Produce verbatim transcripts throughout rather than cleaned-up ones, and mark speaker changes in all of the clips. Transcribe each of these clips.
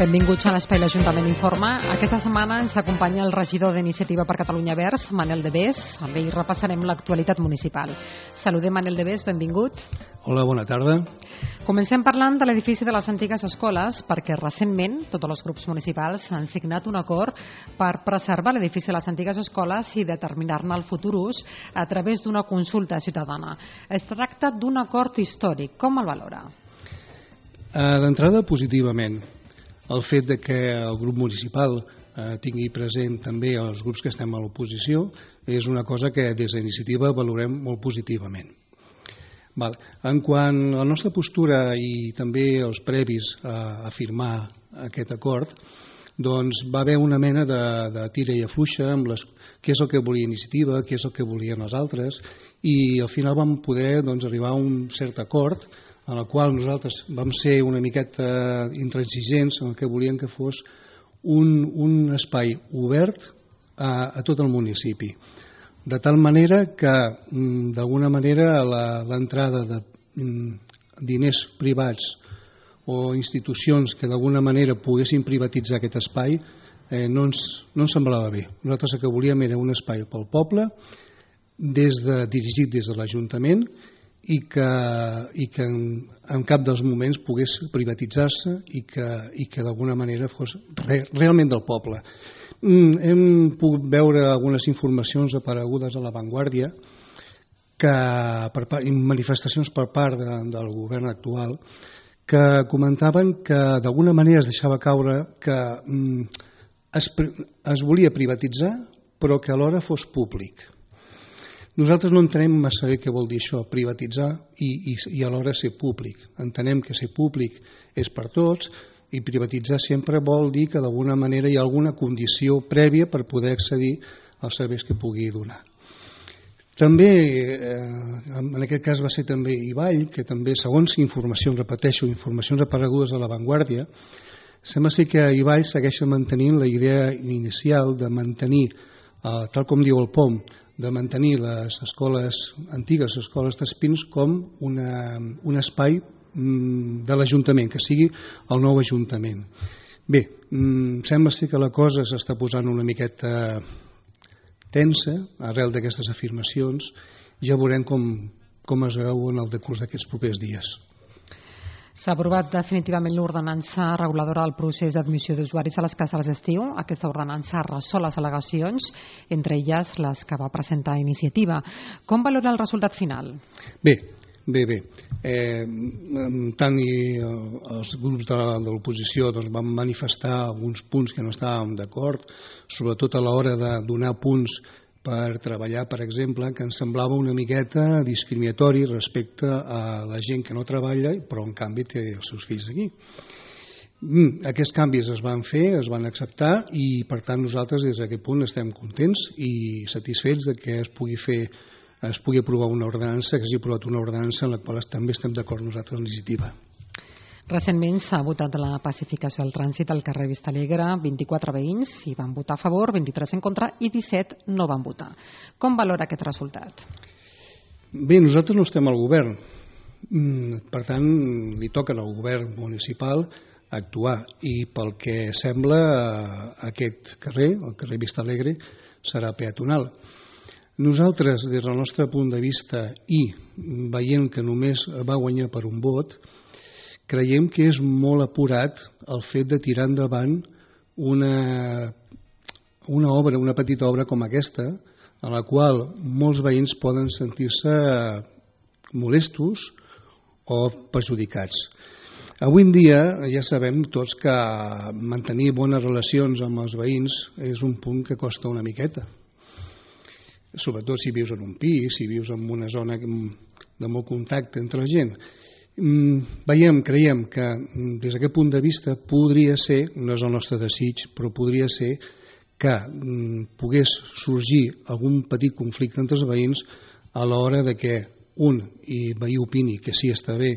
Speaker 1: Benvinguts a l'Espai l'Ajuntament Informa. Aquesta setmana ens acompanya el regidor d'Iniciativa per Catalunya Verds, Manel de Bes. Amb ell repassarem l'actualitat municipal. Saludem Manel de Bes, benvingut.
Speaker 2: Hola, bona tarda.
Speaker 1: Comencem parlant de l'edifici de les antigues escoles, perquè recentment tots els grups municipals han signat un acord per preservar l'edifici de les antigues escoles i determinar-ne el futur ús a través d'una consulta ciutadana. Es tracta d'un acord històric. Com el valora?
Speaker 2: D'entrada, positivament. El fet de que el grup municipal eh, tingui present també els grups que estem a l'oposició és una cosa que des d'Iniciativa valorem molt positivament. Val. En quant a la nostra postura i també els previs a, a firmar aquest acord, doncs va haver una mena de, de tira i afluixa amb les, què és el que volia Iniciativa, què és el que volien els altres, i al final vam poder doncs, arribar a un cert acord en el qual nosaltres vam ser una miqueta intransigents en el que volíem que fos un, un espai obert a, a tot el municipi. De tal manera que, d'alguna manera, l'entrada de diners privats o institucions que d'alguna manera poguessin privatitzar aquest espai eh, no, ens, no ens semblava bé. Nosaltres el que volíem era un espai pel poble, des de, dirigit des de l'Ajuntament, i que, i que en, en cap dels moments pogués privatitzar-se i que, i que d'alguna manera fos re, realment del poble. Mm, hem pogut veure algunes informacions aparegudes a l'avantguàrdia que, per part, manifestacions per part de, del govern actual que comentaven que d'alguna manera es deixava caure que mm, es, es volia privatitzar però que alhora fos públic. Nosaltres no entenem massa bé què vol dir això, privatitzar i, i, i alhora ser públic. Entenem que ser públic és per tots i privatitzar sempre vol dir que d'alguna manera hi ha alguna condició prèvia per poder accedir als serveis que pugui donar. També, eh, en aquest cas va ser també Ivall, que també, segons informacions, repeteixo, informacions aparegudes a l'avantguàrdia, sembla ser que Ivall segueix mantenint la idea inicial de mantenir, eh, tal com diu el P O M, de mantenir les escoles antigues, les escoles d'Espins, com una, un espai de l'Ajuntament, que sigui el nou Ajuntament. Bé, sembla ser que la cosa s'està posant una miqueta tensa arrel d'aquestes afirmacions. Ja veurem com, com es veu en el decurs d'aquests propers dies.
Speaker 1: S'ha aprovat definitivament l'ordenança reguladora del procés d'admissió d'usuaris a les cases d'estiu. Aquesta ordenança resol les al·legacions, entre elles les que va presentar Iniciativa. Com valora el resultat final?
Speaker 2: Bé, bé, bé. Eh, tant i els grups de, de l'oposició doncs, van manifestar alguns punts que no estàvem d'acord, sobretot a l'hora de donar punts per treballar, per exemple, que ens semblava una miqueta discriminatori respecte a la gent que no treballa, però en canvi té els seus fills aquí. Aquests canvis es van fer, es van acceptar i per tant nosaltres des d'aquest punt estem contents i satisfets de que es pugui fer, es pugui aprovar una ordenança, que s'hagi aprovat una ordenança en la qual també estem d'acord nosaltres en Iniciativa.
Speaker 1: Recentment s'ha votat la pacificació del trànsit al carrer Vistalegre. vint-i-quatre veïns hi van votar a favor, vint-i-tres en contra i disset no van votar. Com valora aquest resultat?
Speaker 2: Bé, nosaltres no estem al govern. Per tant, li toca al govern municipal actuar i pel que sembla aquest carrer, el carrer Vistalegre, serà peatonal. Nosaltres, des del nostre punt de vista i veient que només va guanyar per un vot, creiem que és molt apurat el fet de tirar endavant una, una obra, una petita obra com aquesta, a la qual molts veïns poden sentir-se molestos o perjudicats. Avui en dia ja sabem tots que mantenir bones relacions amb els veïns és un punt que costa una miqueta. Sobretot si vius en un pis, si vius en una zona de molt contacte entre la gent. Veiem, creiem que des d'aquest punt de vista podria ser, no és el nostre desig, però podria ser que pogués sorgir algun petit conflicte entre els veïns a l'hora de que un i veí opini que sí està bé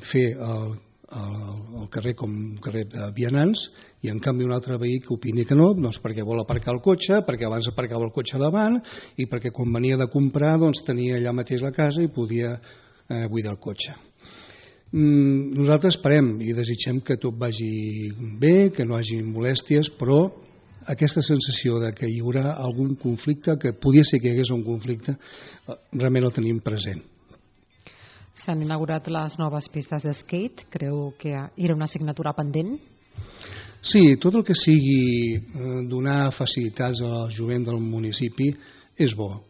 Speaker 2: fer el, el, el carrer com un carrer de vianants i en canvi un altre veí que opini que no, doncs perquè vol aparcar el cotxe, perquè abans aparcava el cotxe davant i perquè quan venia de comprar doncs tenia allà mateix la casa i podia eh, buidar el cotxe. Nosaltres esperem i desitgem que tot vagi bé, que no hi hagi molèsties, però aquesta sensació de que hi haurà algun conflicte, que podia ser que hi hagués un conflicte, realment el tenim present.
Speaker 1: S'han inaugurat les noves pistes de skate. Creu que era una assignatura pendent?
Speaker 2: Sí, tot el que sigui donar facilitats al jovent del municipi és bo.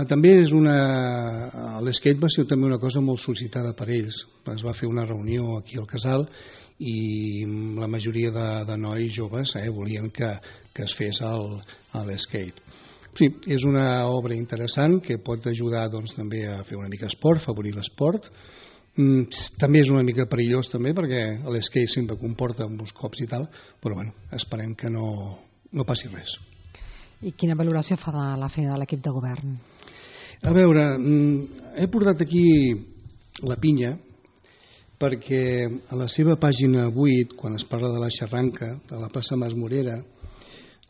Speaker 2: També és una... l'skate va ser també una cosa molt sol·licitada per ells. Es va fer una reunió aquí al casal i la majoria de, de nois joves eh, volien que, que es fes l'skate. Sí, és una obra interessant que pot ajudar doncs, també a fer una mica esport, afavorir l'esport. També és una mica perillós també perquè l'skate sempre comporta uns cops i tal, però bueno, esperem que no, no passi res.
Speaker 1: I quina valoració fa de la feina de l'equip de govern?
Speaker 2: A veure, he portat aquí la pinya perquè a la seva pàgina vuit, quan es parla de la xarranca, de la plaça Mas Morera,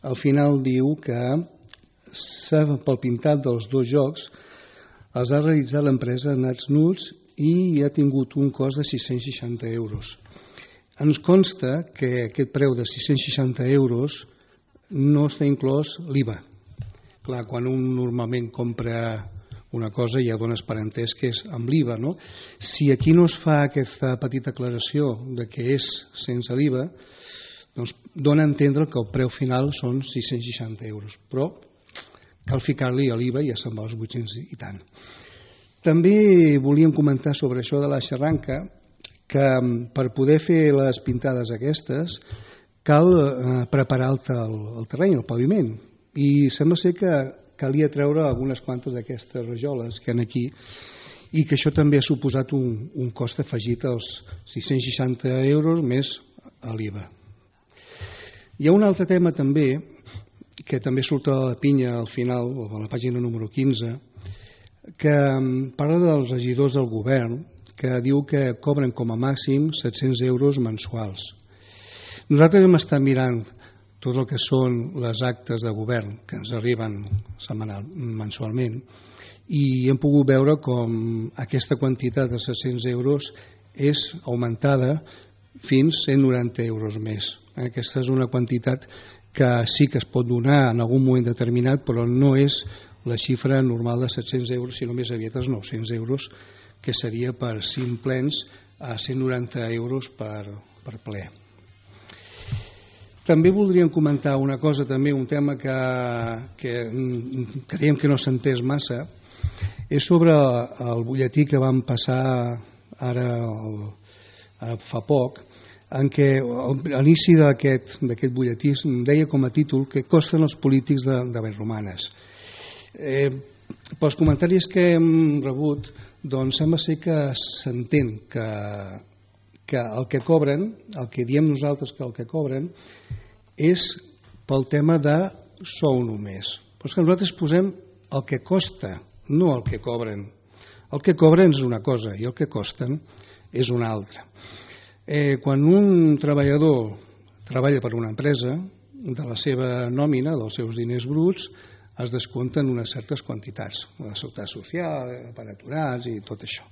Speaker 2: al final diu que pel pintat dels dos jocs els ha realitzat l'empresa Nats Nuts i ha tingut un cost de sis-cents seixanta euros. Ens consta que aquest preu de sis-cents seixanta euros no està inclòs l'I V A. Clar, quan un normalment compra una cosa ja dones per entès que és amb l'I V A, no? Si aquí no es fa aquesta petita aclaració de que és sense l'I V A, doncs dona a entendre que el preu final són sis-cents seixanta euros, però cal ficar-li a l'I V A i ja se'n va als vuit-cents i tant. També volíem comentar sobre això de la xarranca, que per poder fer les pintades aquestes cal preparar el terreny, el paviment, i sembla ser que calia treure algunes quantes d'aquestes rajoles que hi ha aquí i que això també ha suposat un, un cost afegit als sis-cents seixanta euros més a l'I V A. Hi ha un altre tema també, que també surt a la pinya al final, o a la pàgina número quinze, que parla dels regidors del govern, que diu que cobren com a màxim set-cents euros mensuals. Nosaltres hem estat mirant tot el que són les actes de govern que ens arriben setmanal, mensualment, i hem pogut veure com aquesta quantitat de set-cents euros és augmentada fins a cent noranta euros més. Aquesta és una quantitat que sí que es pot donar en algun moment determinat, però no és la xifra normal de set-cents euros, sinó més aviat els nou-cents euros, que seria per cinc plens a cent noranta euros per, per ple. També voldríem comentar una cosa, també un tema que, que creiem que no s'ha entès massa, és sobre el butlletí que vam passar ara, el, ara fa poc, en què a l'inici d'aquest butlletí deia com a títol que costen els polítics de, de Vallromanes. Eh, pels comentaris que hem rebut, doncs sembla ser que s'entén que que el que cobren, el que diem nosaltres que el que cobren, és pel tema de sou només. Però és que nosaltres posem el que costa, no el que cobren. El que cobren és una cosa i el que costen és una altra. Eh, quan un treballador treballa per una empresa, de la seva nòmina, dels seus diners bruts, es descompten unes certes quantitats, la seguretat social, per aturats i tot això.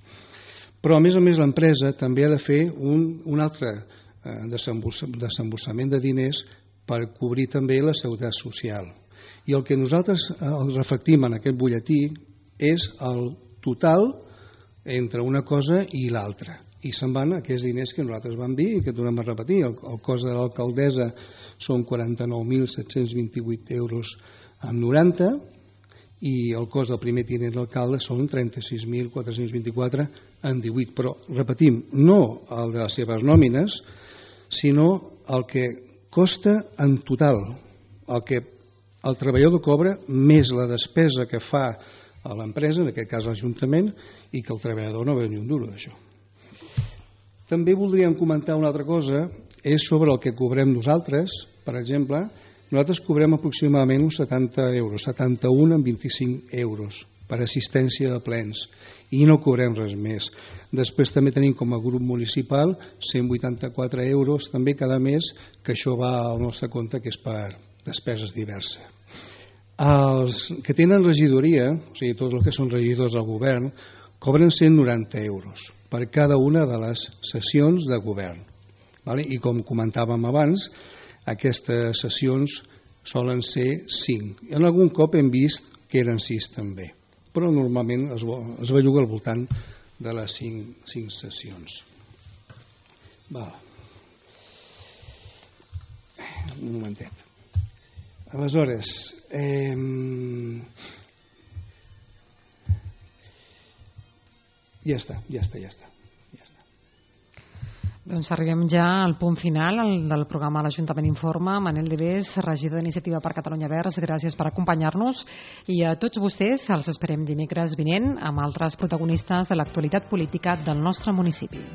Speaker 2: Però a més a més l'empresa també ha de fer un, un altre eh, desemborsament de diners per cobrir també la seguretat social. I el que nosaltres eh, reflectim en aquest butlletí és el total entre una cosa i l'altra. I se'n van aquests diners que nosaltres vam dir i que tornem a repetir. El, el cost de l'alcaldessa són quaranta-nou mil set-cents vint-i-vuit euros amb noranta i el cost del primer tinent d'alcalde són trenta-sis mil quatre-cents vint-i-quatre en divuit. Però, repetim, no el de les seves nòmines, sinó el que costa en total, el que el treballador cobra més la despesa que fa a l'empresa, en aquest cas l'Ajuntament, i que el treballador no veu ni un duro d'això. També voldríem comentar una altra cosa, és sobre el que cobrem nosaltres. Per exemple, nosaltres cobrem aproximadament uns setanta euros, setanta-un amb vint-i-cinc euros per assistència de plens i no cobrem res més. Després també tenim com a grup municipal cent vuitanta-quatre euros també cada mes, que això va al nostre compte, que és per despeses diverses. Els que tenen regidoria, o sigui, tots els que són regidors del govern, cobren cent noranta euros per cada una de les sessions de govern. I com comentàvem abans, aquestes sessions solen ser cinc. En algun cop hem vist que eren sis també, però normalment es belluga al voltant de les cinc sessions. Un momentet. Aleshores, ja està, ja està, ja està.
Speaker 1: Doncs arribem ja al punt final del programa L'Ajuntament Informa. Manel Debés, regidor d'Iniciativa per Catalunya Verds, gràcies per acompanyar-nos, i a tots vostès els esperem dimecres vinent amb altres protagonistes de l'actualitat política del nostre municipi.